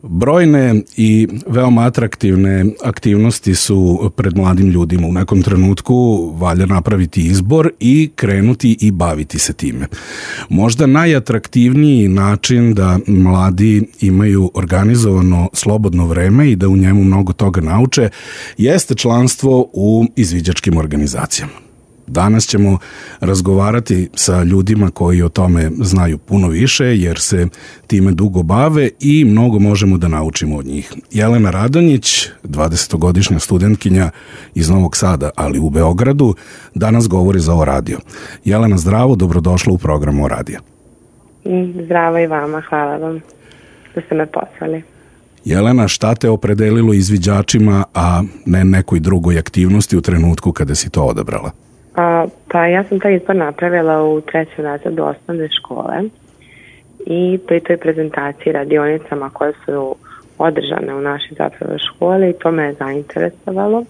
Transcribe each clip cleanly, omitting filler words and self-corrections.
Brojne i veoma atraktivne aktivnosti su pred mladim ljudima. U nekom trenutku valja napraviti izbor i krenuti i baviti se time. Možda najatraktivniji način da mladi imaju organizovano slobodno vreme i da u njemu mnogo toga nauče jeste članstvo u izviđačkim organizacijama. Danas ćemo razgovarati sa ljudima koji o tome znaju puno više jer se time dugo bave i mnogo možemo da naučimo od njih. Jelena Radonjić, 20-godišnja studentkinja iz Novog Sada, ali u Beogradu, danas govori za O radio. Jelena, zdravo, dobrodošla u program O radija. Zdravo i vama, hvala vam što ste me pozvali. Jelena, šta te opredelilo izviđačima, a ne nekoj drugoj aktivnosti u trenutku kada si to odabrala? Pa ja sam taj izbor napravila u 3. razredu osnovne škole i pri toj prezentaciji radionicama koje su održane u našoj zapravo školi i to me je zainteresovalo.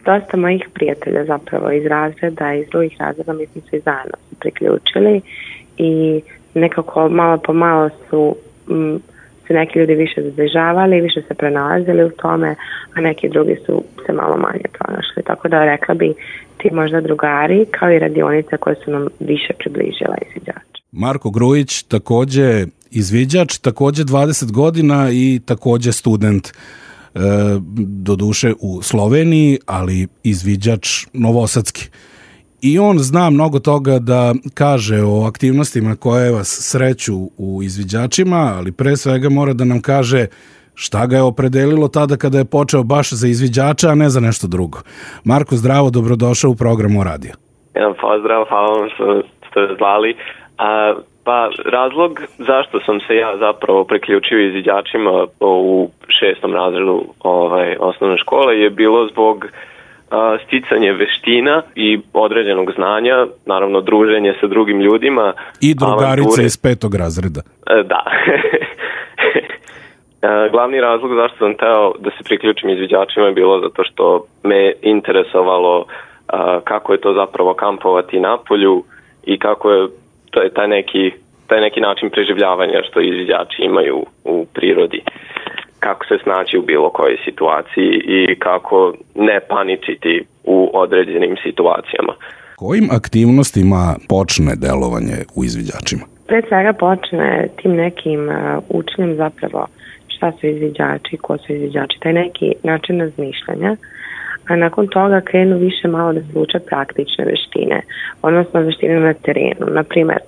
Dosta mojih prijatelja zapravo iz razreda i iz drugih razreda mi smo se zajedno priključili i nekako malo po malo su se neki ljudi više zbližavali, više se pronalazili u tome, a neki drugi su se malo manje pronašli. Tako da rekla bi ti možda drugari kao i radionice koje su nam više približila izviđača. Marko Grujić, takođe izviđač, takođe 20 godina i takođe student, doduše u Sloveniji, ali izviđač novosadski. I on zna mnogo toga da kaže o aktivnostima koje vas sreću u izviđačima, ali pre svega mora da nam kaže šta ga je opredelilo tada kada je počeo baš za izviđača, a ne za nešto drugo. Marko, zdravo, dobrodošao u program O radija. Pozdrav, hvala vam što ste zvali. Pa razlog zašto sam se ja zapravo priključio izviđačima u 6. razredu osnovne škole je bilo zbog sticanje veština i određenog znanja, naravno druženje sa drugim ljudima. I drugarice iz 5. razreda. Da. Glavni razlog zašto sam teo da se priključim izviđačima je bilo zato što me interesovalo kako je to zapravo kampovati na polju i kako je taj neki način preživljavanja što izviđači imaju u prirodi. Kako se snaći u bilo kojoj situaciji i kako ne paničiti u određenim situacijama. Kojim aktivnostima počne delovanje u izviđačima? Pre svega počne tim nekim učenjem zapravo šta su izviđači, ko su izviđači, taj neki način razmišljanja, a nakon toga krenu više malo da se uče praktične veštine, odnosno veštine na terenu, na primer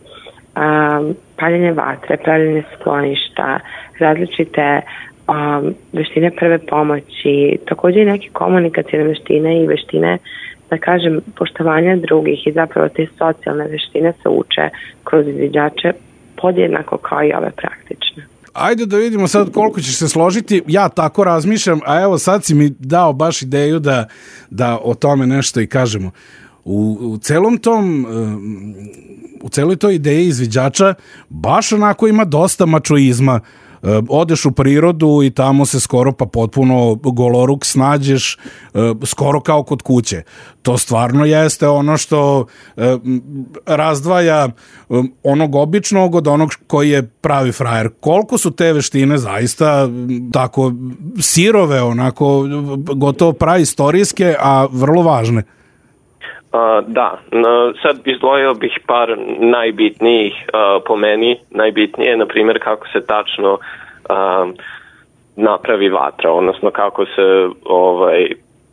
paljenje vatre, pravljenje skloništa, različite veštine prve pomoći, također i neke komunikacijne veštine i veštine, da kažem, poštovanja drugih i zapravo te socijalne veštine se uče kroz izviđače podjednako kao i ove praktične. Ajde da vidimo sad koliko ćeš se složiti. Ja tako razmišljam, a evo sad si mi dao baš ideju da o tome nešto i kažemo. U celoj toj ideji izviđača baš onako ima dosta mačoizma. Odeš u prirodu i tamo se skoro pa potpuno goloruk snađeš, skoro kao kod kuće. To stvarno jeste ono što razdvaja onog običnog od onog koji je pravi frajer. Koliko su te veštine zaista tako sirove, onako gotovo praistorijske, a vrlo važne? Da, sad izdvojio bih par najbitnijih po meni. Najbitnije je, na primjer, kako se tačno napravi vatra, odnosno kako se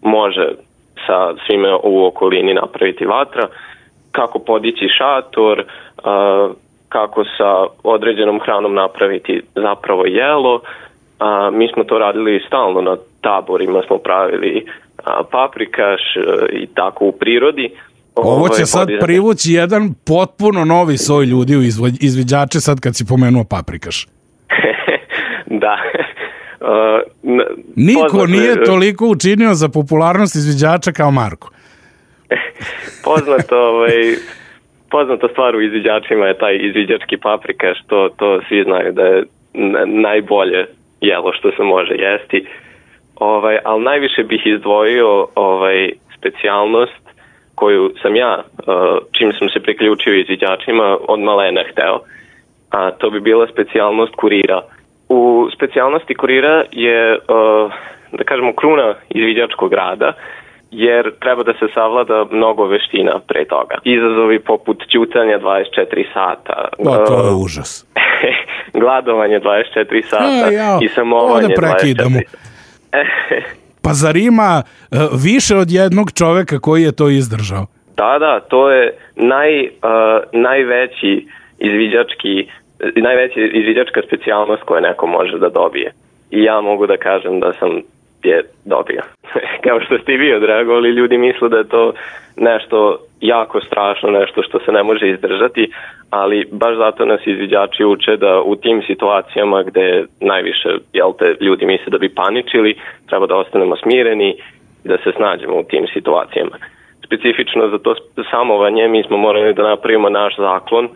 može sa svime u okolini napraviti vatra, kako podići šator, kako sa određenom hranom napraviti zapravo jelo. Mi smo to radili stalno na taborima, smo pravili paprikaš i tako u prirodi. Ovo će sad privući jedan potpuno novi soj ljudi u izviđače sad kad si pomenuo paprikaš. Da. Niko nije toliko učinio za popularnost izviđača kao Marko. Poznata stvar u izviđačima je taj izviđački paprikaš, to svi znaju da je najbolje jelo što se može jesti. Ali najviše bih izdvojio specijalnost koju sam ja, čim sam se priključio izviđačima, od malena hteo. A to bi bila specijalnost kurira. U specijalnosti kurira je, da kažemo, kruna izviđačkog rada, jer treba da se savlada mnogo veština pre toga. Izazovi poput ćutanja 24 sata. To je užas. Gladovanje 24 sata i samovanje 24 sata. Pa zar ima više od jednog čoveka koji je to izdržao? Da, to je najveća izviđačka specijalnost koju neko može da dobije. I ja mogu da kažem da sam je dobio. Kao što ste i vi odreagovali, ljudi misle da je to nešto jako strašno, nešto što se ne može izdržati, ali baš zato nas izviđači uče da u tim situacijama gde najviše ljudi misle da bi paničili, treba da ostanemo smireni i da se snađemo u tim situacijama. Specifično za to samovanje mi smo morali da napravimo naš zaklon,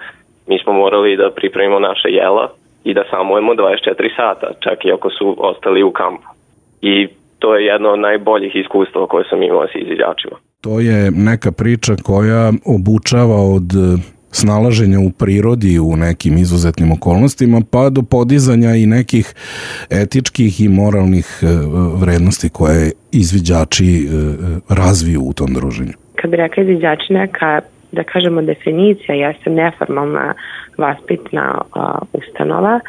mi smo morali da pripremimo naše jela i da samujemo 24 sata, čak i ako su ostali u kampu. I to je jedno od najboljih iskustava koje sam imao s izviđačima. To je neka priča koja obučava od snalaženja u prirodi u nekim izuzetnim okolnostima pa do podizanja i nekih etičkih i moralnih vrednosti koje izviđači razviju u tom druženju. Kad bi rekla izviđači neka, da kažemo, definicija, jeste neformalna vaspitna ustanova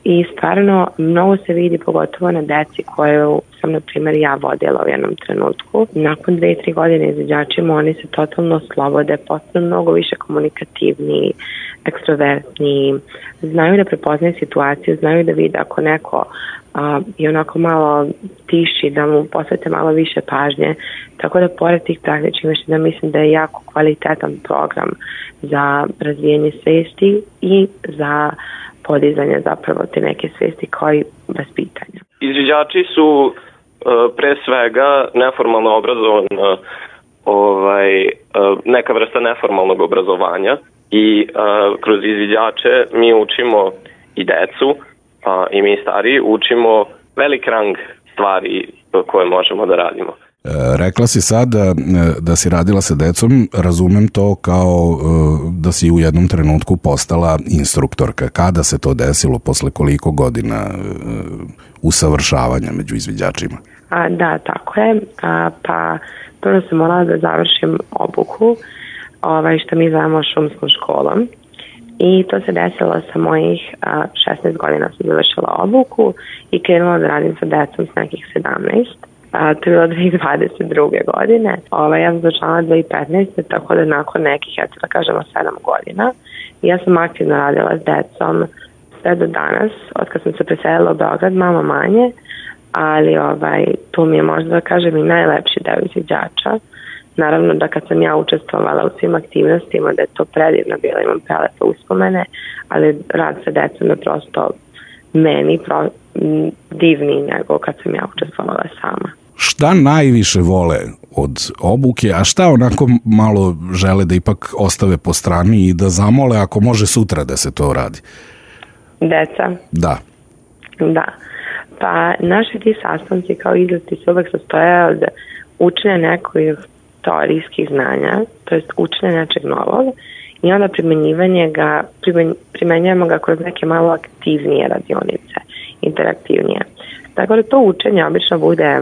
i stvarno mnogo se vidi pogotovo na deci koju sam, na primjer, ja vodila u jednom trenutku. Nakon 2-3 godine izviđačima oni se totalno slobode, postanu mnogo više komunikativni, ekstrovertni, znaju da prepoznaju situaciju, znaju da vide ako neko i onako malo tiši, da mu posvete malo više pažnje. Tako da pored tih praktičnih veština mislim da je jako kvalitetan program za razvijanje svesti i za podizanje zapravo te neke svesti kao i vaspitanja. Izviđači su pre svega neformalno obrazovana neka vrsta neformalnog obrazovanja i kroz izviđače mi učimo i decu i mi stariji učimo velik rang stvari koje možemo da radimo. Rekla si sad da si radila sa decom, razumem to kao da si u jednom trenutku postala instruktorka. Kada se to desilo, posle koliko godina usavršavanja među izviđačima? Da, tako je. Pa prvo sam morala da završim obuku, što mi zovemo šumskom školom. I to se desilo sa mojih 16 godina sam završila obuku i krenula da radim sa decom s nekih 17. To je bilo 2022. godine. Ja sam začala 2015. tako da nakon nekih, da kažemo, 7 godina. Ja sam aktivno radila s decom sve do danas, od kad sam se preselila u Beograd, malo manje, ali tu mi je možda, da kažem, i najlepši deo izviđača. Naravno da kad sam ja učestvovala u svim aktivnostima, da je to predivno bilo, imam prelepe uspomene, ali rad sa decom je prosto meni divniji nego kad sam ja učestvovala sama. Šta najviše vole od obuke, a šta onako malo žele da ipak ostave po strani i da zamole ako može sutra da se to radi? Deca? Da. Pa naši ti sastanci kao izleti se uvek sastoje od učenja nekih teorijskih znanja, to jest učenja nečeg novog i onda primenjujemo ga kroz neke malo aktivnije radionice, interaktivnije. Tako da to učenje obično bude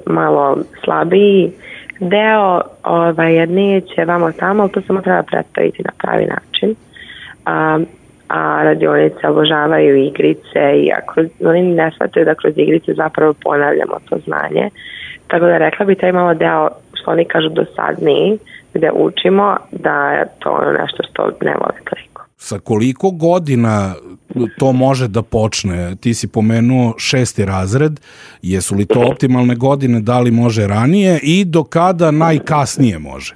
malo slabiji deo, jer neće vamo tamo, ali to samo treba predstaviti na pravi način. A radionice obožavaju igrice i oni ne shvataju da kroz igrice zapravo ponavljamo to znanje. Tako da rekla bi taj malo deo, što oni kažu, dosadniji, gde učimo, da je to nešto što ne voli toliko. Sa koliko godina to može da počne? Ti si pomenuo 6. razred, jesu li to optimalne godine, da li može ranije i do kada najkasnije može?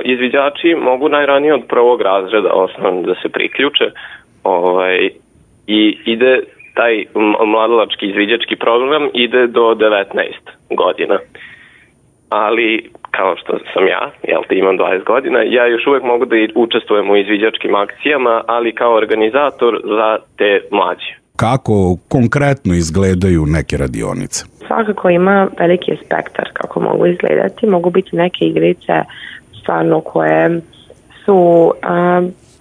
Izviđači mogu najranije od 1. razreda osnovno da se priključe i ide taj mladalački izviđački program ide do 19 godina. Ali, kao što sam ja, imam 20 godina, ja još uvek mogu da učestvujem u izviđačkim akcijama, ali kao organizator za te mlađe. Kako konkretno izgledaju neke radionice? Svakako ima veliki spektar kako mogu izgledati. Mogu biti neke igrice stvarno koje su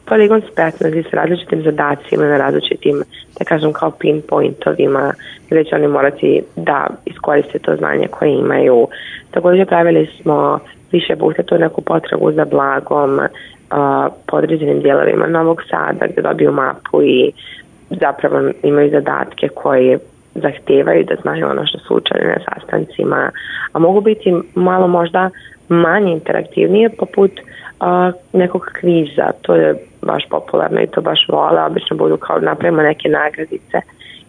poligon spretnosti sa različitim zadacima na različitim, da kažem, kao pinpointovima, gde će oni morati da iskoriste to znanje koje imaju. Također pravili smo više puta tu neku potragu za blagom po određenim dijelovima Novog Sada, gde dobiju mapu i zapravo imaju zadatke koje zahtevaju da znaju ono što su učili na sastancima, a mogu biti malo možda manje interaktivnije, poput nekog kviza. To je baš popularno i to baš vole, obično budu kao napravimo neke nagradice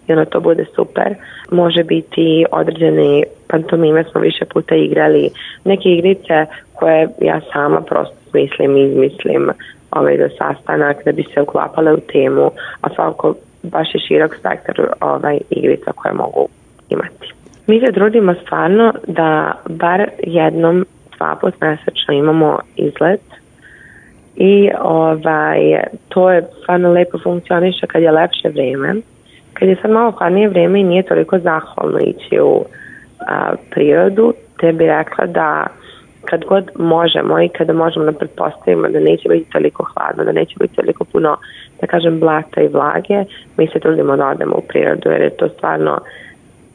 i ono to bude super. Može biti određeni pantomime, smo više puta igrali, neke igrice koje ja sama prosto izmislim za sastanak da bi se uklapale u temu, a svakako baš je širok spektar igrica koje mogu imati. Mi se trudimo stvarno da bar jednom, 2 put mesečno imamo izlet i to je stvarno lepo funkcioniše kad je lepše vreme. Kad je sad malo hladnije vreme i nije toliko zahvalno ići u prirodu, te bi rekla da kad god možemo i kada možemo da pretpostavimo da neće biti toliko hladno, da neće biti toliko puno, da kažem, blata i vlage, mi se trudimo da odemo u prirodu, jer je to stvarno,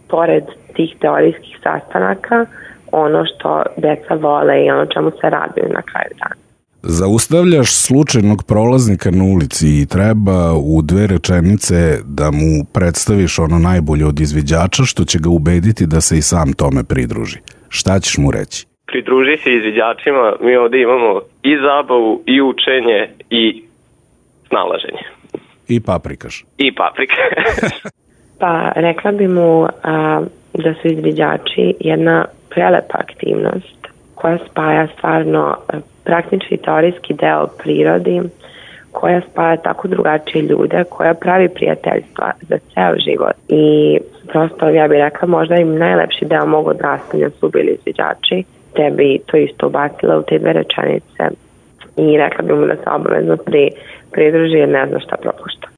pored tih teorijskih sastanaka, ono što deca vole i ono čemu se raduju na kraju dana. Zaustavljaš slučajnog prolaznika na ulici i treba u 2 rečenice da mu predstaviš ono najbolje od izviđača što će ga ubediti da se i sam tome pridruži. Šta ćeš mu reći? Pridruži se izviđačima, mi ovdje imamo i zabavu, i učenje, i snalaženje. I paprikaš. I paprika. Pa rekla bi mu da su izviđači jedna prelepa aktivnost koja spaja stvarno praktični teorijski deo prirodi, koja spaja tako drugačije ljude, koja pravi prijateljstva za ceo život. I prosto ja bih rekla možda im najlepši deo mog odrastanja su bili izviđači, te bi to isto ubacila u te 2 rečenice i rekla bi mu da se obavezno pridruži jer ne zna šta propušta.